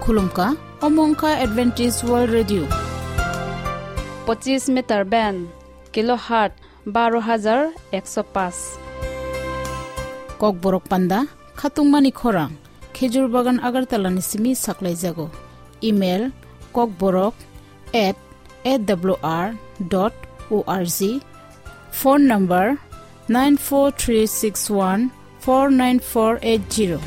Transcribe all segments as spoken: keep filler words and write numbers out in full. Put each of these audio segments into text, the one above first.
Khulumkha, omo wngkha Adventist World Radio. Pochis meter band, kilohertz baro hajar ekso paanch. Kokborok panda, khatungmani khorang, Khejur Bagan Agartala ni simi saklaijago. Email, kokborok at A W R dot O R G. Phone number, nine four three six one four nine four eight zero.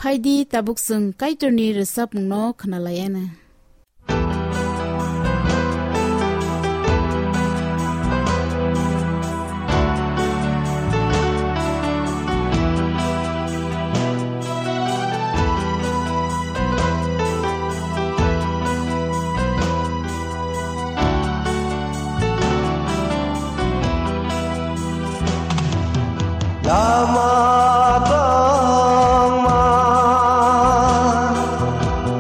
Phaidi tabuk chwng Kaitorni rwchapmungno khwnalaiana. Lama tongma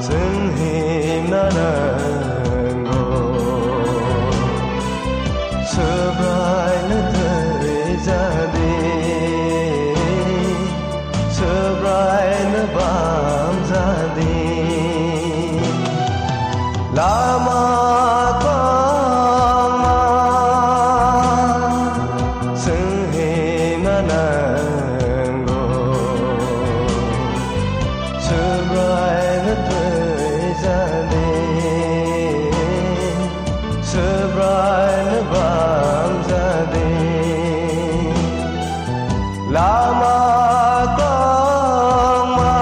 chwng himna nango, Subraino thwi jadi, Subraino bam jadi. Lama tongma chwng himna nango, Subraino thwi jadi, Subraino bam jadi. Lama tongma.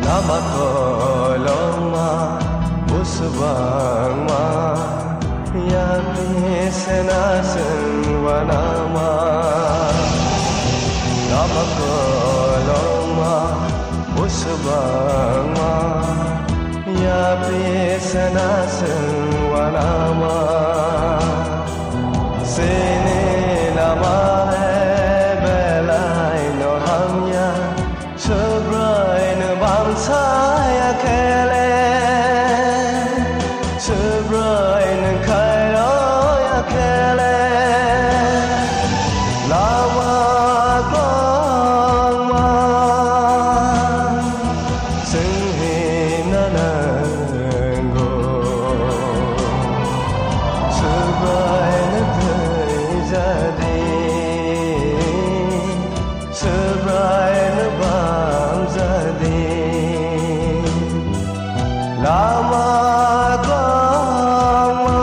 Lama koloma, busu bangma, yapri sena sengwanama. Lama koloma, busu bangma, yapri sena sengwanama. Sini lama he belai no hamya, Subraino bamsaya khele, Subraino khairokya khele, lama kwbangma chwng himna nango, Subraino thwi jadi. Subraino bam jadi, lama kwbangma.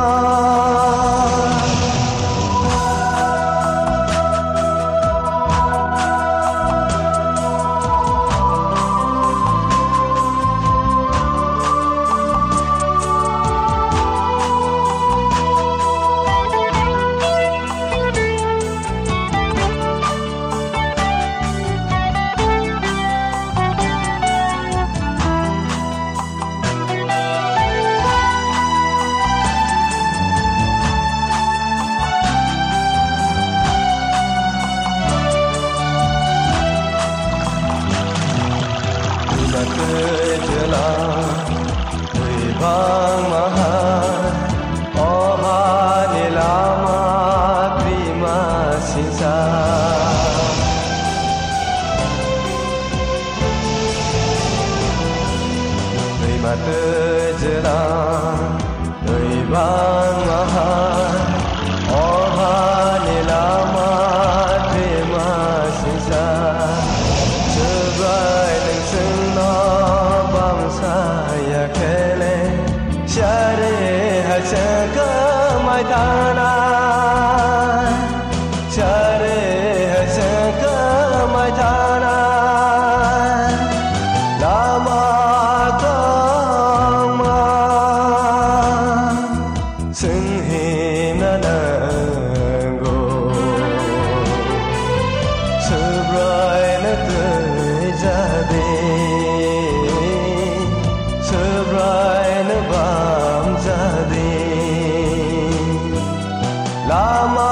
Ama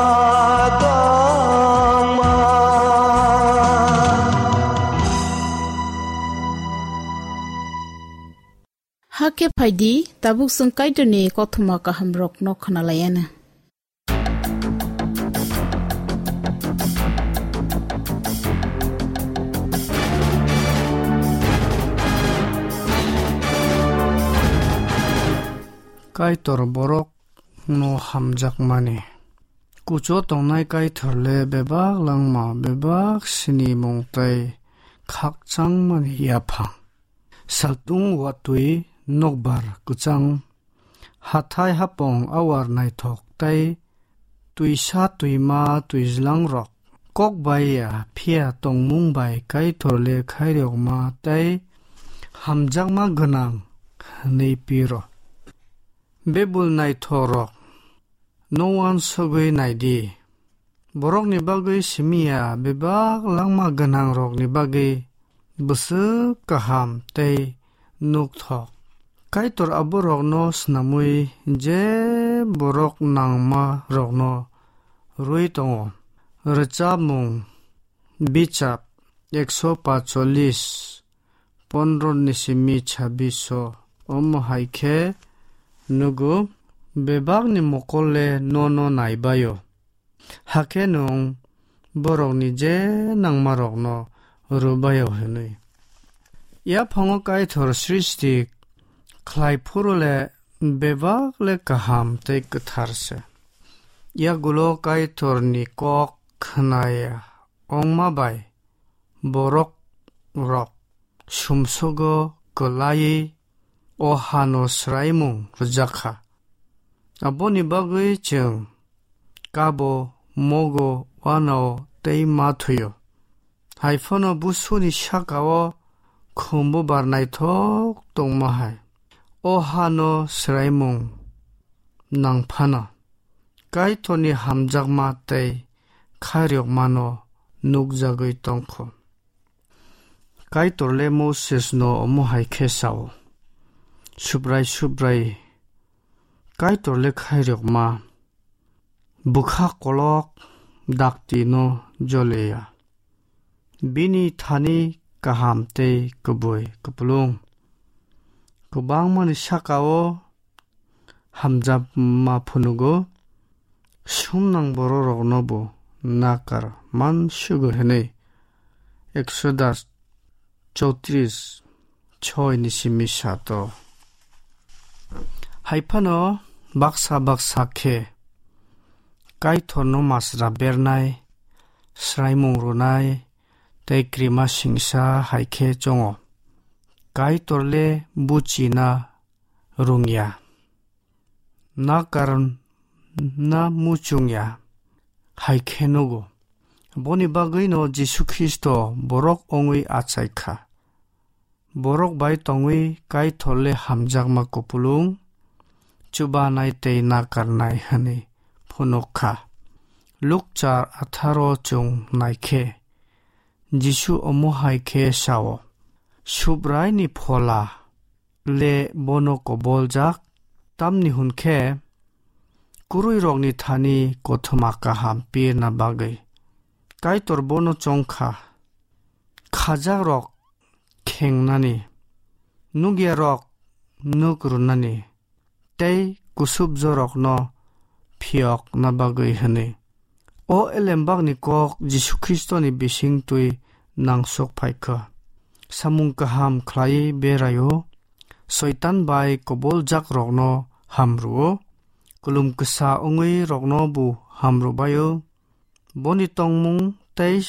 tongma. Hakhe phaidi, tabuk chwng Kaitorni kothoma kahamrokno khwnalaianw. Kaitor borokno hamjakmani. Kuchugo tongnai Kaitor le bebak langma, bebak sinimung tei khakchangmani yaphang. Saltung watwi nokbar kwchang, hathai hapong awar naithok tei twisa twima twijlangrok, kok bai ya phiya tongmung bai Kaitor le khairokma tei hamjakma gwnang hwnwi piro. Bebul naithokrok, no uansugwi naidi. Borokni bagwi simi ya, bebak langma gwnangrokni bagwi bwswk kaham tei nukthok. Kaitor aborokno snamwi je borok nangmarokno rwui tongo. Rwchapmung bichap ekso pacholis, pondro ni simi chabbish o, omo hai khe nugo, bebakni mokol le nono naibaio, hakhe nwng borokni je nangmarokno rwbaio hwnwi. Yaphango Kaitor srishti khlai phuru le bebak le kaham tei kwthar se. Yagulo Kaitorni kok khwnaya wngma bai borok rok sumsogo kwlaiwi o hano swraimung rwjakha. Aboni bagwi chwng kabo, mogo, uanao tei ma thwio. Hai phano busuni sakao khumbu bar naithok tongma hai. O hano swraimung nang phano Kaitorni hamjakma tei khairokmano nukjagwi tongkho. Kaitor le Moses no omo hai khe sao, Subrai, Subrai, Kaitor le khairokma, bwkha kolok dakti no joleya. Bini thani kaham tei kubui kupulung kwbangmani sakao hamjakma phunugo, sumnang bororokno bo nakar man sugo hwnwi. Exodus chowtris, choi ni simi sato. Hai phano baksa baksa khe Kaitorno masra bernai, swraimung rwnai tei krima singsa hai khe chongo. Kaitor le buchina rwngya, nakar na muchungya hai khe nugo. Boni bagwino Jisu Khristo borok wngwi achai kha. Borok bai tongwi Kaitor le hamjakma kupulung, chubanai tei nakarnai hwnwi phunuk kha. Luk char atharo chwng nai khe, Jisu omo hai khe sao, Subraini Phola le bono koboljak, tamni hwn khe kwrwirokni thani kothoma kaham pirna bagwi. Kaitor bono chong kha, khajakrok khengnani, nukyarok nuk rwnani, tei kusubjorokno phiyokna bagwi hwnwi. O elembakni kok Jisu Khristoni bisingtwi nangsok phai kha. Samung kaham khlaiwi beraio, Soitan bai koboljakrokno hamrwo, kulum kwsa wngwi rokno bo hamrwbaio. Boni tongmung tei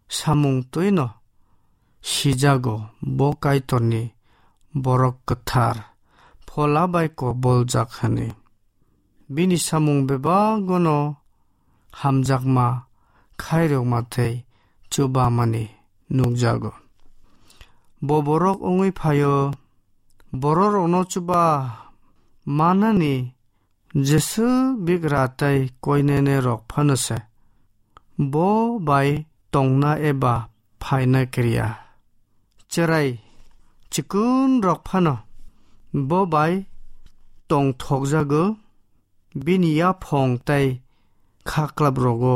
samung twino sijago, bo Kaitorni borok kwthar, Phola bai koboljak hwnwi. Bini samung bebagono hamjakma, khairokma tei chubamani nukjago. Bo borok wngwi phaio, bororokno chuba manani jeswk bigra tei koinene rok phano se. Bo bai tongna eba phaina kiriya. Cherai chikun rok phano bo bai tongthokjago, bini yaphong tei kha klap rogo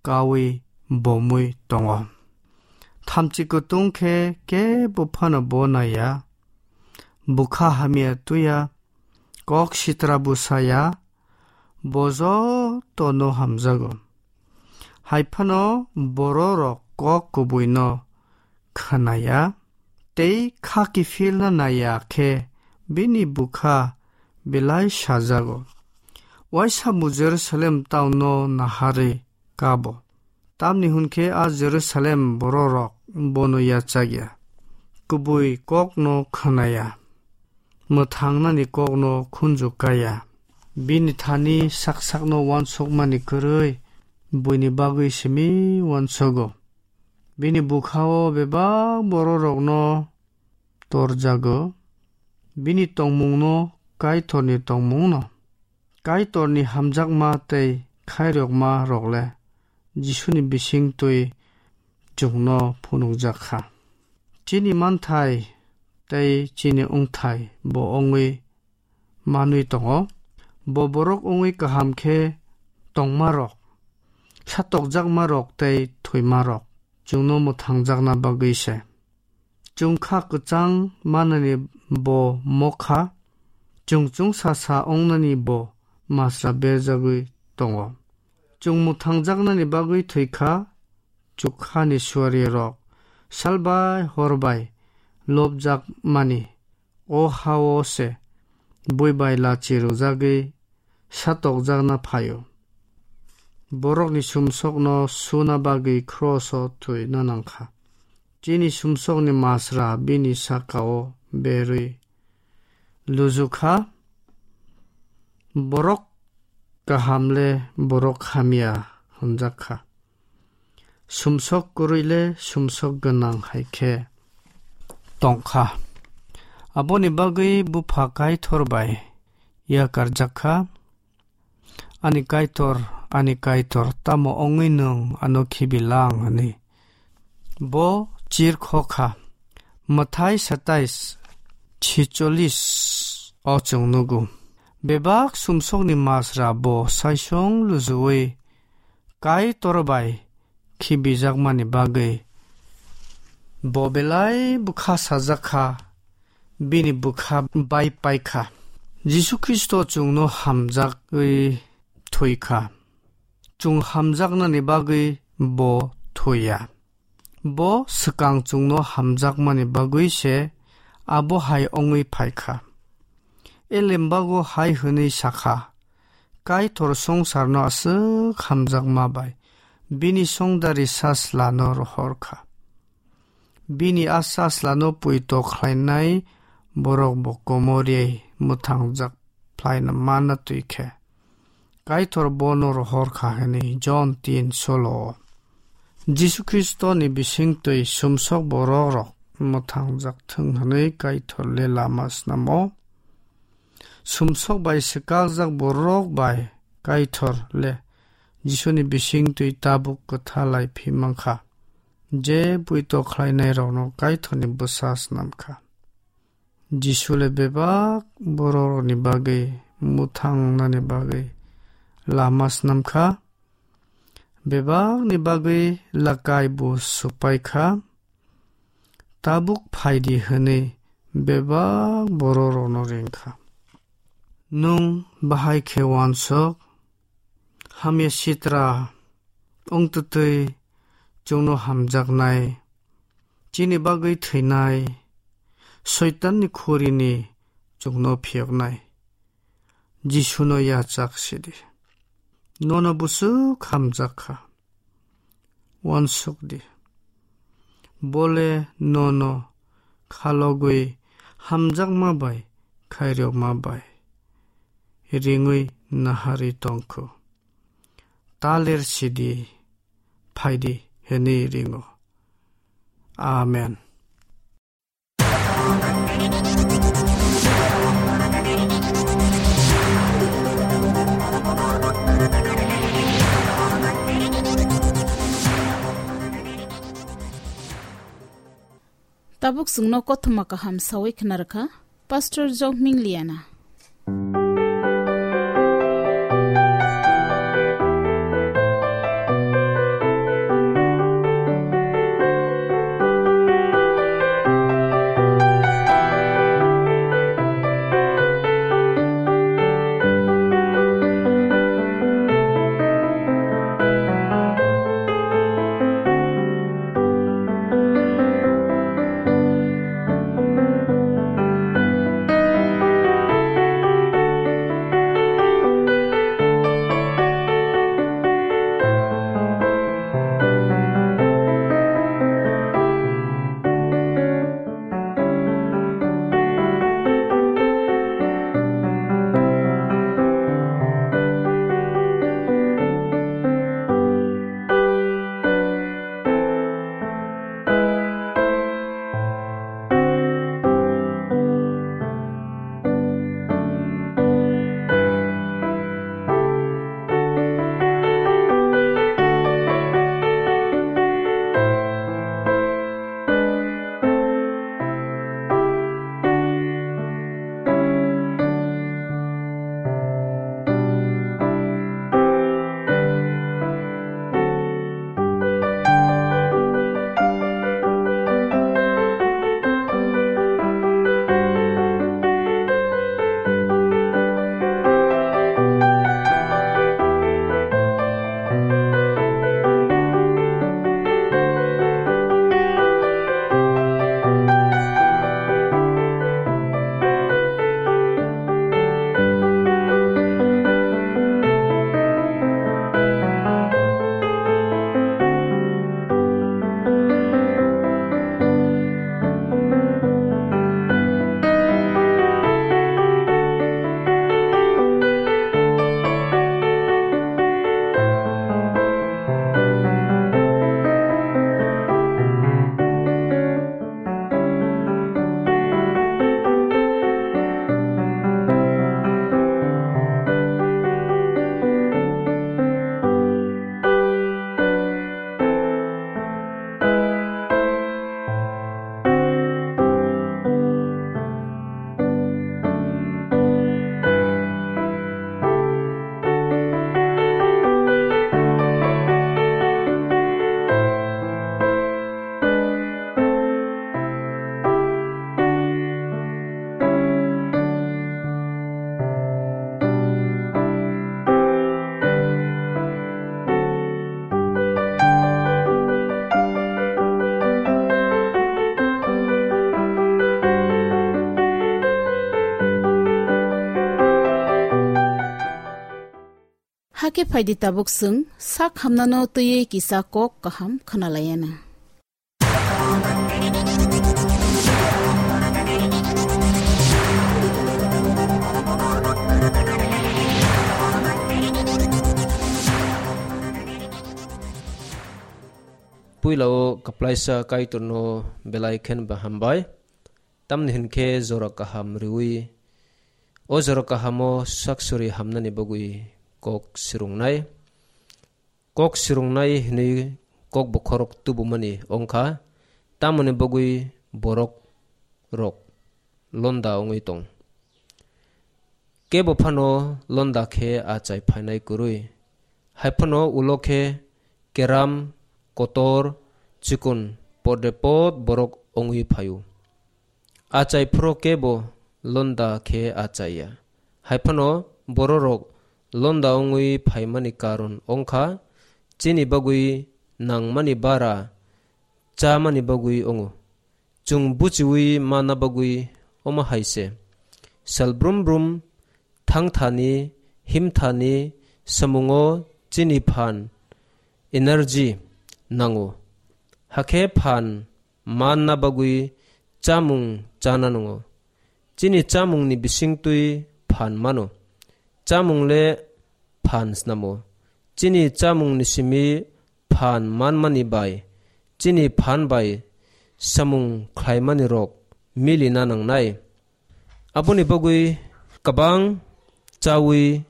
kaui bomui tongo. Thamchi kutung khe kebo phano bo naiya. Bukha hamya tuya, kok sitra bwsaya, bo jotono hamjago. Hai phano bororok kok kubuino khnaya tei kha kiphilna naiya khe bini bukha belai sajago. Waisa bo Jerusalem town-o naharwi kabo. Tamni hwn khe a Jerusalem bororok bono yachakya, kubui kokno khnaya, mwthangnani kokno khunju kaya. Bini thani sak sakno uansukmani kwrwi buini bagwi simi uansugo. Bini bwkhao bebak bororokno torjago, bini tongmungno Kaitorni tongmungno. Kaitorni hamjakma tei khairokma rok le Jisuni bising twi chwngno phunukjak kha. Chini manthai tei chini wngthai bo wngwi manwi tongo. Bo borok wngwi kaham khe tongmarok, satokjakmarok tei thwimarok chwngno mwthangjakna bagwi se. Chwng kha kwchang manani bo mokha, chwng chwngsa sa wngnani bo masra berjagwi tongo. Chwng mwthangjaknani bagwi thwi kha, chukkhani suarirok salbai horbai lobjakmani o ha-o se bui bai lachi rwjagwi satokjakna phaio. Borokni sumsokno suna bagwi kroso thwina nangkha. Chini sumsokni masra bini saka-o berwi luju kha. Borok kaham le borok hamya hwnjak kha. Sumsok kwrwi le sumsok gwnang hai khe tong kha. Aboni bagwi Bupha Kaitor bai yakarjak kha. "Ani Kaitor, ani Kaitor, tamo wngwi nwng ano khibi lang?" hwnwi. Bo chir kho kha. Mwthai satais chicholis o chwng nugo. Bebak sumsokni masra bo saisong lujuwi Kaitor bai khibijakmani bagwi bo belai bwkha sajak kha, bini bwkha bai pai kha. Jisu Khristo chwngno hamjagwi thwi kha. Chwng hamjaknani bagwi bo thwi ya. Bo swkang chwngno hamjakmani bagwi se abo hai wngwi phai kha. Elembago hai hwnwi sa kha, "Kaitor songsarno aswk hamjakma bai bini songdari saslano rohor kha. Bini a saslano puito khlainai borok bo komor rwi mwthangjak phlaina manna twi khe Kaitor bono rohor kha," hwnwi Jon tin solo. Jisu Khristoni bisingtwi sumsok borok rok mwthangjak thwng hwnwi Kaitor le lama snamo. Sumsok bai swkakjak borok bai Kaitor le Jisuni bisingtwi tabuk kwthalai phi mankha. Je puito khlainairokno Kaitorni bwsa snam kha. Jisu le bebak bororokni bagwi mwthangnani bagwi lama snam kha. Bebakni bagwi lakai bo swpai kha. Tabuk phai di hwnwi bebak bororokno ring kha. Nwng bahai khe uansuk, hamya sitra wng twtwi chwngno hamjaknai, chini bagwi thwinai, Soitanni khurini chwngno phiyoknai Jisuno yachak sidi. Nono bwswk hamjak kha. Uansuk di. Bole nono khalogwi hamjakma bai khairokma bai ringwi naharwi tongkhu. Taler sidi, phaidi hwnwi ringo. Amen. Tabuk chwngno kothoma kaham sawi khna rwkha Pastor Jokming Liana. Khe phaidi tabuk chwng sak hamnano twiwi kisa kok kaham khwnalaiyana. Puila-o kwplaisa Kaitorno belai khenba hambai. Tamni hwn khe jora kaham riui, o jora kahamo sak suri hamnani bagwi kok swrwngnai. Kok swrwngnai hwnwi kok bokhorok tubumani wngkha, tamoni bagwi borok rok londa wngwi tong. Kebo phano londa khe achai phainai kwrwi. Hai phano ulo khe keram, kotor, chikon podre pod borok wngwi phaio. Achai phuru kebo londa khe achaiya. Hai phano bororok londa wngwi phaimani karon wngkha chini bagwi nangmani bara chamani bagwi wngo. Chwng buchiui mana bagwi omo hai se. Sal brum brum thangthani, himthani samungo chini phan, energy, nango. Hakhe phan manna bagwi chamung chana nango. Chini chamungni bisingtwi phan mano. Chamung le phan snamo. Chini chamungni simi phan manmani bai, chini phan bai samung khlaimani rok milina nangnai. Aboni bagwi kwbang chaui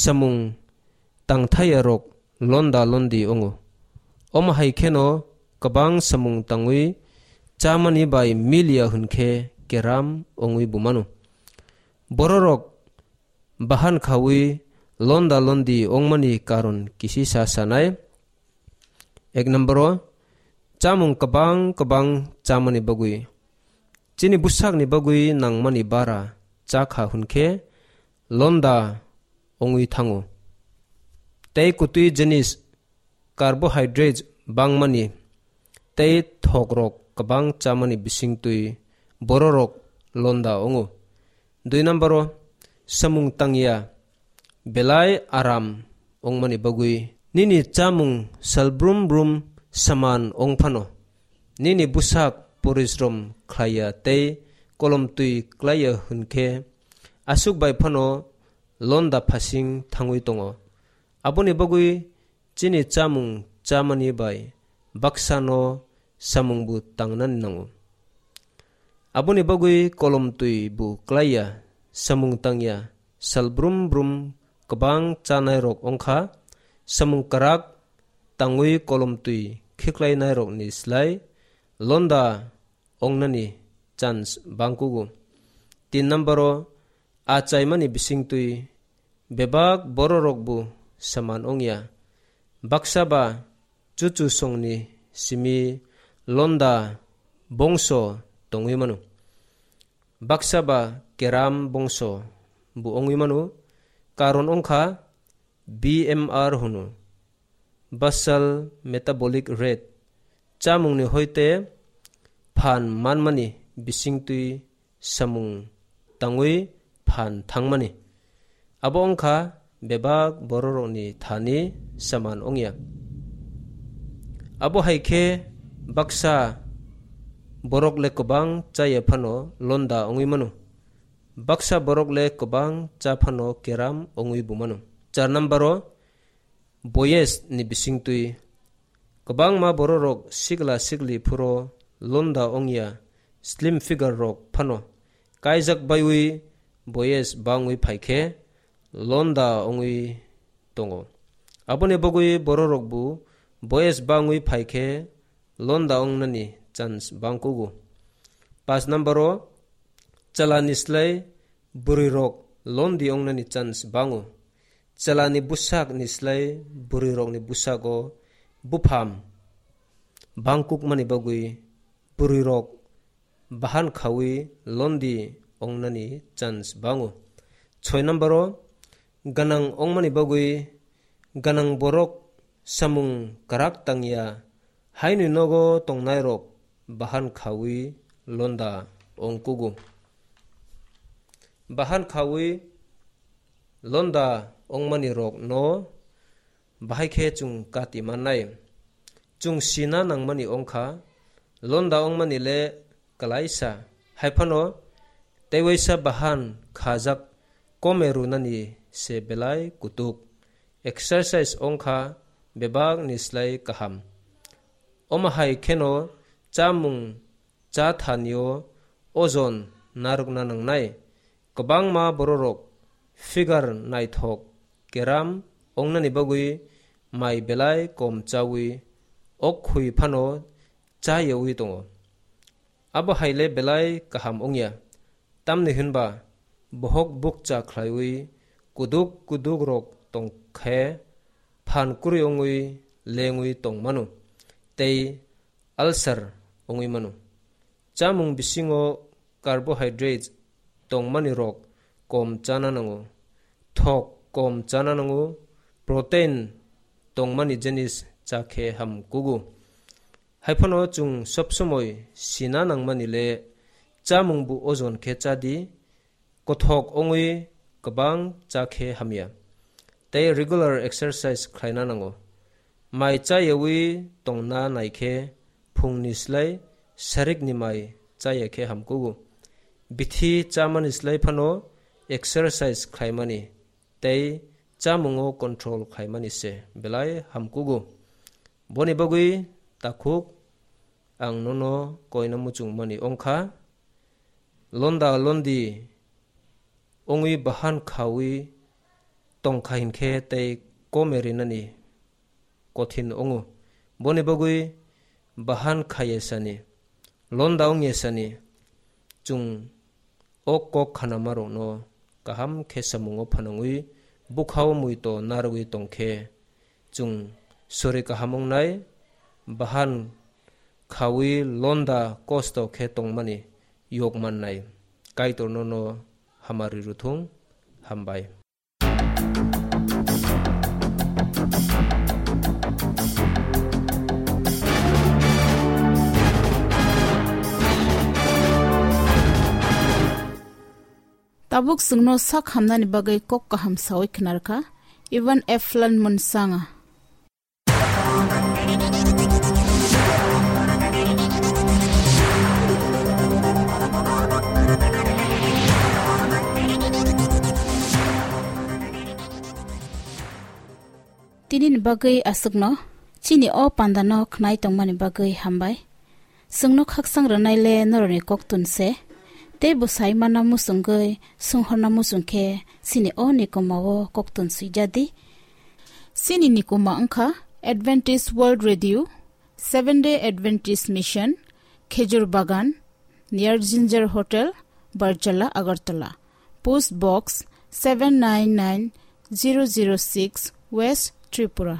samung tangthaiya rok londa londi wngo. Omo hai kheno kwbang samung tangwi chamani bai miliya hwn khe keram wngwi bumano. Bororok bahan khaui londa londi wngmani karon kisisa sanai. Ek number o, chamung kwbang kwbang chamani bagwi, chini bwsakni bagwi nangmani bara chakha hwn khe londa wngwi thango. Tei kwtwi jinis, carbohydrates bangmani tei thokrok kwbang chamani bisingtwi bororok londa wngo. Dui number o, samung tangya belai aram wngmani bagwi nini chamung sal brum brum saman wng phano, nini bwsak porisrom khlaiya tei kolomtwi klaiya hwn khe aswk bai phano londa phasing thangwi tongo. Aboni bagwi chini chamung chamani bai baksano samungbo tangnani nango. Aboni bagwi kolomtwi bo klaiya, samung tangya, sal brum brum kwbang chanairok wngkha, samung kwrak tangwi kolomtwi khiklainairokni slai londa wngnani chance bangkugo. Tin number o, achaimani bisingtwi bebak bororokbo saman wngya. Baksa ba chuchu songni simi londa bongso tongwi mano. Baksa ba keram bongso bo wngwi mano. Karon wngkha B M R hwno, basal metabolic rate, chamungni hoite phan manmani bisingtwi samung tangwi phan thangmani. Abo wngkha bebak bororokni thani saman wngya. Abo hai khe baksa borok le kwbang chaya phano londa wngwi mano. Baksa borok le kwbang cha phano keram wngwi bo mano. Char number o, boyes ni bisingtwi kwbangma bororok sikla sikli phuro londa wngya, slim figure rok phano kaijak baiwi boyes bangwi phaikhe londa wngwi tongo. Aboni bagwi bororokbo boyes bangwi phaikhe londa wngnani chance bangkugo. Pas number o, chalani slai bwrwirok londi wngnani chance bango. Chalani bwsakni slai bwrwirokni bwsago bupham bangkukmani bagwi bwrwirok bahan khaui londi wngnani chance bango. Soi number o, gwnang wngmani bagwi gwnang borok samung kwrak tangya, haini nogo tongnairok bahan khaui londa wngkugo. Bahan khaui londa wngmani rokno bahai khe chwng kati mannai. Chwng sina nangmani wngkha, londa wngmani le kwlaisa. Hai phano teiwaisa bahan khajak kome rwnani se belai kutuk. Exercise wngkha bebakni slai kaham. Omo hai kheno chamung cha thanio ojon narwkna nangnai. Kwbangma bororok figure naithok keram wngnani bagwi mai belai kom chawi ok khui phano cha yawi tongo. Abo hai le belai kaham wngya, tamni hwnba bohok bukcha khlaiwi kuduk kuduk rok tong khe phan kwrwi wngwi lengwi tong mano tei ulcer wngwi mano. Chamung bisingo carbohydrates tongmani rok kom chana nango, thok kom chana nango, protein tongmani jenis cha khe ham kugo. Hai phano chwng sob somoi sina nangmani le chamung bu ojon khe cha di, kothok wngwi kwbang cha khe hamya. Tei regular exercise khlaina nango. Mai cha yawi tongna nai khe phungni slai sarikni mai cha ya khe ham kugo. Bithi chamani slai phano exercise khlaimani tei chamungo control khlaimani se belai ham kugo. Boni bagwi takhuk ang nono koina muchungmani wngkha, londa londi wngwi bahan khawi tongkha hinkhe tei kome rinani kothin wngo. Boni bagwi bahan khaiya sani, londa wngya sani, chwng o kok khanamarokno kaham khe samungo phanangwi bukhao muito narwgwi tongkhe, chwng sori kaham wngnai, bahan khawi londa kosto khe tongmani yok mannai. Kaitorno no hamari ruthung. Hambai. Tabuk chwngno sak hamnani bagwi kok kaham sawi khnarkha Ivan Eflan Munsanga. Tinini bagwi aswkno chini o pandano khnai tongmani bagwi hambai. Chwngno khaksang rwnaile norokni koktun se, tei bwsai mana muchungwi sunghorna muchung khe chini o nikomao koktun swijadi. Chini nikoma wngkha Adventist World Radio, Seventh Day Adventist Mission, Khejur Bagan, near Ginger Hotel, Barjala, Agartala. Post Box seven nine nine zero zero six, West Tripura.